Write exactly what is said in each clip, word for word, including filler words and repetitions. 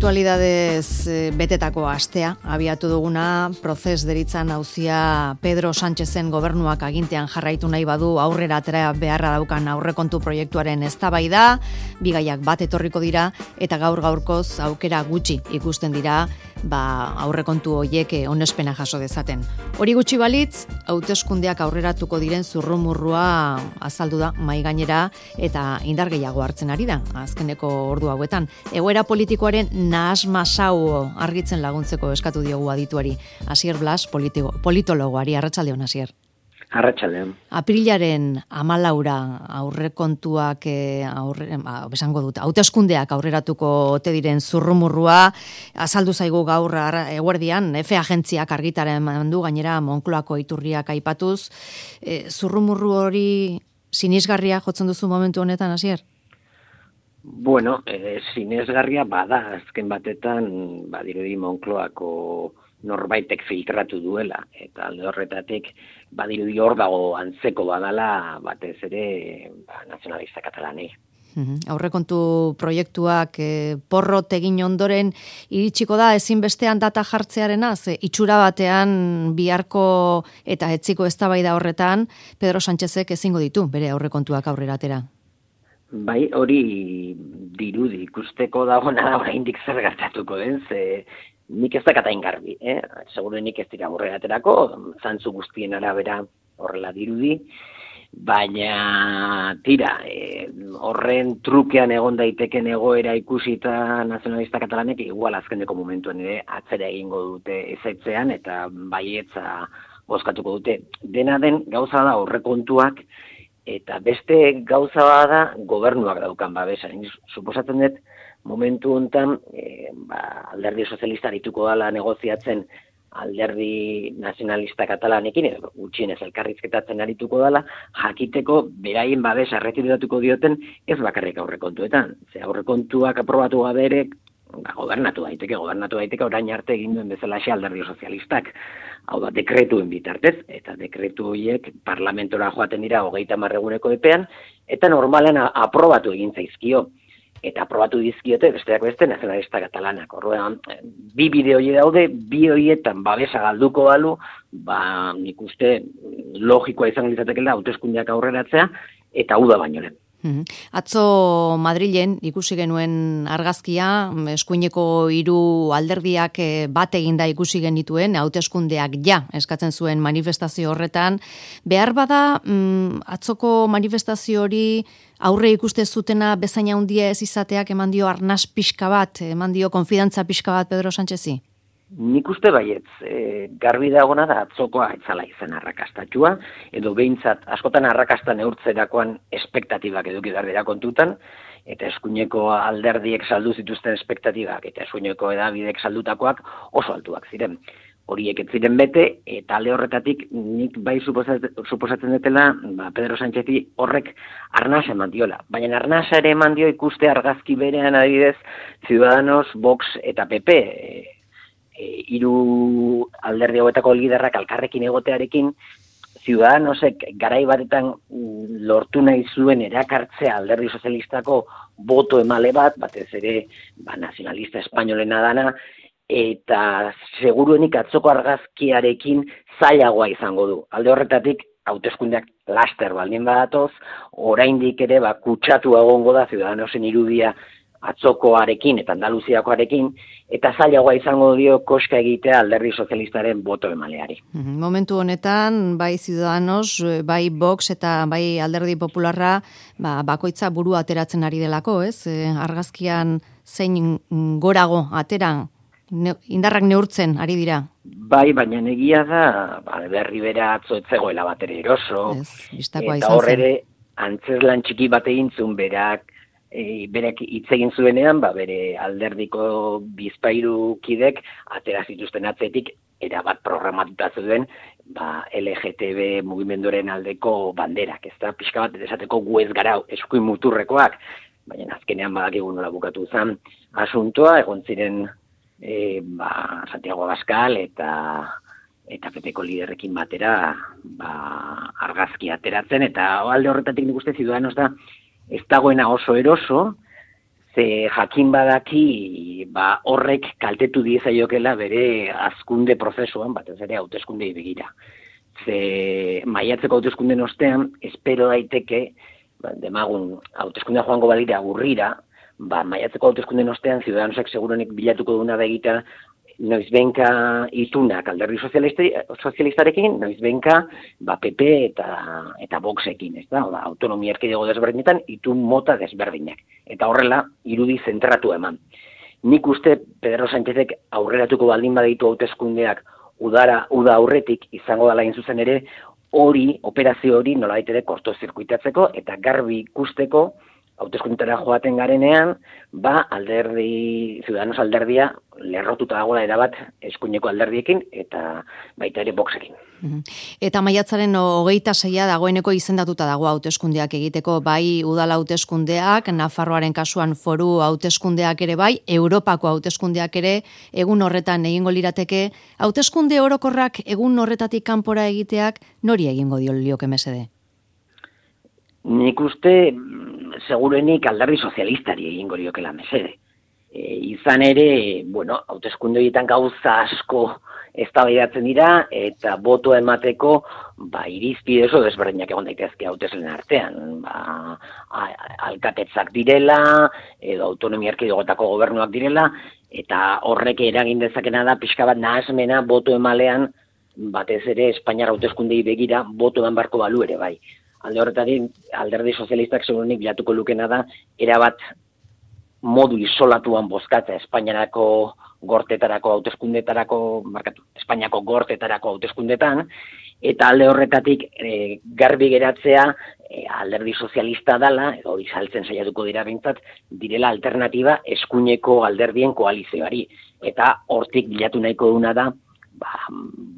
Aktualidadez betetako astea, abiatu duguna, prozes deritzan auzia Pedro Sánchezen gobernuak agintean jarraitu nahi badu aurrera atera beharra daukan aurrekontu proiektuaren eztabaida, bigaiak bat etorriko dira eta gaur gaurkoz aukera gutxi ikusten dira ba, aurrekontu hoiek onespena jaso dezaten. Hori gutxi balitz, hauteskundeak aurreratuko diren zurrumurrua azaldu da mai gainera eta indar gehiago hartzen ari da azkeneko ordu hauetan. Egoera politikoaren nahasmasau argitzen laguntzeko eskatu diogu adituari. Asier Blas, politiko, politologoari, arratsaldeon Asier. Arratsaldeon. Aprilaren hamalaura aurrekontuak aurre, besango dut, hauteskundeak aurreratuko ote diren zurrumurrua azaldu zaigu gaur eguerdian, F agentziak argitaren mandu gainera Moncloako iturriak aipatuz. E, zurrumurru hori sinisgarria jotzen duzu momentu honetan, Asier? Bueno, eh, sinesgarria bada, azken batetan, badirudi Moncloako norbaitek filtratu duela, eta alde horretatik, badirudi hor dago antzeko badala, batez ere, ba, nazionalista katalanei. Uhum. Aurrekontu proiektuak eh, porrot egin ondoren iritsiko da ezinbestean data jartzearena, ze itxura batean biharko eta etziko eztabaida horretan Pedro Sánchezek ezingo ditu bere aurrekontuak aurrera atera. Bai, hori dirudi ikusteko dagoena da oraindik zer gertatuko den, ze nik ez dakatain garbi, eh? Seguro nik ez dira aurrera aterako, zantzu guztien arabera horrela dirudi, baina tira, eh, horren trukean egon daiteken egoera ikusita nazionalista katalanek igual azkeneko momentuan ere atzera egingo dute ezetzean eta baietza bozkatuko dute. Dena den gauza da aurrekontuak eta beste gauza bada gobernuak daukan babesa. Suposatzen dut momentu hontan e, ba, alderdi sozialista arituko dela negoziatzen alderdi nazionalista katalanekin, edo gutxienez elkarrizketatzen arituko dela, jakiteko beraien babesa erretiratuko dioten ez bakarrik aurrekontuetan. Ze aurrekontuak aprobatu gabe ere, ba, gobernatu daiteke, gobernatu daiteke orain arte egin duen bezalaxe alderdi sozialistak. Hau da, dekretuen bitartez, eta dekretu horiek parlamentora joaten dira hogeita hamar eguneko epean, eta normalan aprobatu egin zaizkio. Eta aprobatu dizkiote, besteak beste, nazionalista katalanak. Orduan, bi bide hori daude, bi horietan babesa galduko balu, ba, nik uste logikoa izango litzatekeela hauteskundeak aurreratzea, eta uda baino lehen. Atzo Madrilen ikusi genuen argazkia, eskuineko hiru alderdiak bat eginda ikusi genituen, hauteskundeak ja eskatzen zuen manifestazio horretan. Behar bada, atzoko manifestazio hori aurre ikuste zutena bezain handia ez izateak eman dio arnas pixka bat, eman dio konfidantza pixka bat Pedro Sánchezi? Nik uste baietz, e, garbi dagona da atzokoa etzala izan arrakastatua, edo behintzat askotan arrakasta neurtzerakoan espektatibak eduki behar dira kontutan, eta eskuineko alderdiek saldu zituzten espektatibak, eta eskuineko edabidek saldutakoak oso altuak ziren. Horiek ez ziren bete, eta alde horretatik nik bai suposatzen, suposatzen dutela ba, Pedro Sánchezi horrek arnasa eman diola. Baina arnasa ere eman dio ikuste argazki berean adibidez Ciudadanos, Vox eta P P, e, E, hiru alderdi hauetako liderrak elkarrekin egotearekin, Ciudadanosek garai batetan lortu nahi zuen erakartzea alderdi sozialistako boto emale bat, batez ere ba, nazionalista espainolena dana, eta seguruenik atzoko argazkiarekin zailagoa izango du. Alde horretatik, hauteskundeak laster baldin badatoz, oraindik ere ba, kutsatu egongo da Ciudadanosen irudia atzokoarekin eta Andaluziakoarekin, eta zailagoa izango dio koska egitea alderdi sozialistaren boto emaleari. Momentu honetan, bai Ciudadanos, bai Vox eta bai alderdi popularra, ba, bakoitza buru ateratzen ari delako, ez? E, argazkian zein gorago atera, ne, indarrak neurtzen ari dira. Bai, baina egia da, ba, berri bera atzo ez zegoela bat ere eroso, ez, eta horre antzeslan txiki bat egin zuen berak, E, berek hitz egin zuenean, ba, bere alderdiko bizpahiru kidek atera zituzten atzetik erabat programatuta zuen ba, L G T B mugimenduaren aldeko banderak, ez da, pixka bat esateko gu ez gara eskuin muturrekoak, baina azkenean badakigu nola bukatu zen asuntoa, egon ziren e, ba, Santiago Abascal eta eta P Pko liderrekin batera ba, argazki ateratzen, eta alde horretatik nik uste Ciudadanos da ez dagoena oso eroso, Ze jakin badaki, ba, horrek kaltetu diezaiokela bere hazkunde prozesuan, batez ere hauteskundei begira. Ze maiatzeko hauteskunden ostean, espero daiteke, ba, demagun, hauteskundea joango badira urrira, ba, maiatzeko hauteskunden ostean, Ciudadanosak seguruenik bilatuko duna da egitea, noizbenka itunak alderdi sozialistarekin, noizbenka ba, P P eta, eta Voxekin, ez da? Oda, autonomia erkidego desberdinetan, itun mota desberdinak. Eta horrela, irudi zentratu eman. Nik uste Pedro Sánchezek aurreratuko baldin baditu hauteskundeak udara, uda aurretik izango dela zuzen ere, hori, operazio hori nolabait ere kortozirkuitatzeko eta garbi ikusteko hauteskundetara joaten garenean, ba, alderdi, Ciudadanos alderdia lerrotuta dagoela erabat eskuineko alderdiekin eta baita ere Voxekin. Eta maiatzaren hogeita seia dagoeneko izendatuta dago hauteskundeak egiteko, bai udal hauteskundeak, Nafarroaren kasuan foru hauteskundeak ere bai, Europako hauteskundeak ere egun horretan egingo lirateke, hauteskunde orokorrak egun horretatik kanpora egiteak nori egingo dio lioke mesede? Nik uste segurenik alderdi sozialistari egingo liokela mesede. E, izan ere, bueno, hauteskunde horietan gauza asko eztabaidatzen dira eta botoa emateko ba irizpide oso desberdinak egon daitezke hautesleen artean, ba alkatetzak direla edo autonomia erkidegotako gobernuak direla eta horrek eragin dezakena da pixka bat nahasmena boto emalean batez ere Espainiar hauteskundei begira boto eman barko balu ere bai. Alde horretatik, alderdi sozialistak segurunik bilatuko lukena da, erabat modu isolatuan bozkatza Espainiarako gortetarako hauteskundetarako, markatu, Espainiako gortetarako hauteskundetan, eta alde horretatik e, garbi geratzea e, alderdi sozialista dala, edo hori saltzen saiatuko dira behintzat, direla alternatiba eskuineko alderdien koalizioari. Eta hortik bilatu nahiko duna da, ba,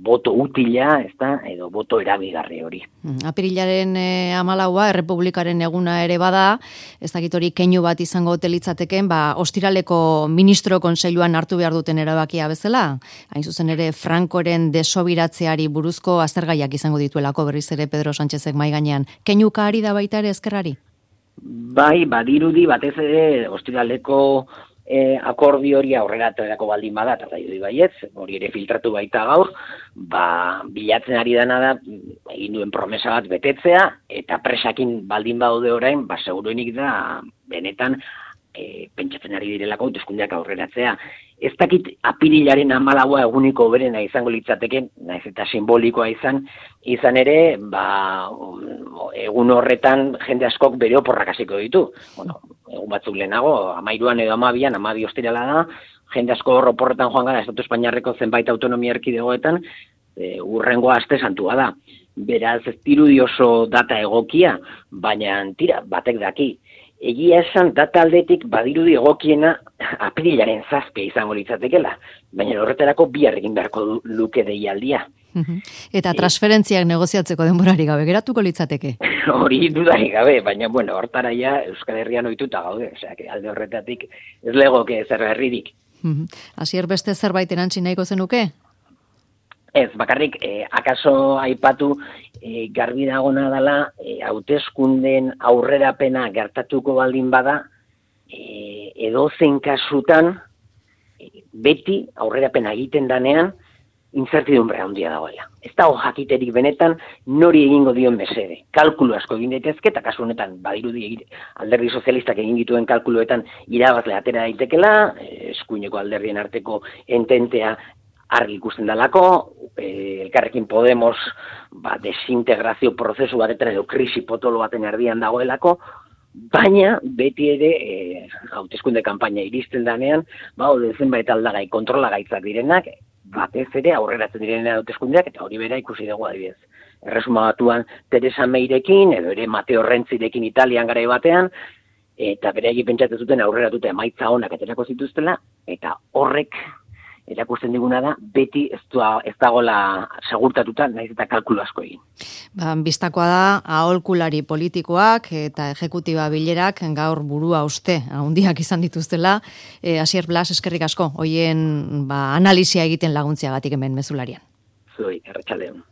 boto utila, ez da, edo boto erabigarri hori. Apirilaren e, amalaua, Errepublikaren eguna ere bada, ez dakit hori keinu bat izango telitzateken, ba, ostiraleko ministro kontseiluan hartu behar duten erabakia bezala, hain zuzen ere Frankoren desobiratzeari buruzko aztergaiak izango dituelako berriz ere Pedro Sánchezek mai gainean. Keinuka ari da baita ere ezkerrari? Bai, badirudi batez ere ostiraleko E, akordio hori aurrera aterako baldin bada, eta da baietz, hori ere filtratu baita gaur, ba, bilatzen ari dena da, egin duen promesa bat betetzea, eta presakin baldin badaude orain, ba, seguruenik da, benetan, e, pentsatzen ari direlako hauteskundeak aurreratzea. Ez dakit apirilaren amalaua eguniko berena izango litzateke, naiz eta simbolikoa izan, izan ere, ba, egun horretan jende askok bere oporrak hasiko ditu. Bueno, egun batzuk lehenago, amairuan edo amabian, amabi ostirala da, jende asko oporretan joan gara, Estatu Espainiarreko zenbait autonomia erkidegoetan, e, urrengoa aste santua da. Beraz, ez dirudi oso data egokia, baina tira, batek daki. Egia esan data aldetik badirudi egokiena apirilaren zazpia izango litzatekela, baina horretarako bihar egin beharko luke deialdia. Eta transferentziak negoziatzeko denborari gabe geratuko litzateke? Hori dudarik gabe, baina bueno, hortara ja Euskal Herrian ohituta gaude, osea, alde horretatik ez legoke zer berririk. Hasier beste zerbait erantzi nahiko zenuke? Ez, bakarrik, eh, akaso aipatu eh, garbi dagona dela, eh, hauteskunden aurrerapena gertatuko baldin bada, eh, edozein kasutan, eh, beti aurrerapena egiten danean, incertidumbre handia dagoela. Ez dago jakiterik benetan nori egingo dion mesede. Kalkulu asko egin daitezke, eta kasu honetan badirudi alderdi sozialistak egin dituen kalkuluetan irabazle atera daitekela, eh, eskuineko alderdien arteko ententea argi ikusten dalako, eh, Elkarrekin Podemos ba, desintegrazio prozesu batetan edo krisi potolo baten erdian dagoelako, baina beti ere eh, hauteskunde kanpaina iristen danean, ba, zenbait aldagai kontrolagaitzak direnak, batez ere aurreratzen direnean hauteskundeak, eta hori bera ikusi dugu adibidez. Erresuma Batuan Teresa Meirekin, edo ere Mateo Rentzirekin Italian garai batean, eta beraiek pentsatzen zuten aurreratuta emaitza onak aterako zituztela, eta horrek erakusten diguna da, beti ez, da, ez dagoela segurtatuta, naiz eta kalkulu asko egin. Ba, bistakoa da, aholkulari politikoak eta ejekutiba bilerak gaur burua uste, handiak izan dituztela. E, Asier Blas, eskerrik asko, hoien ba, analisia egiten laguntziagatik hemen mezularian. Zuei, erretxaldeon.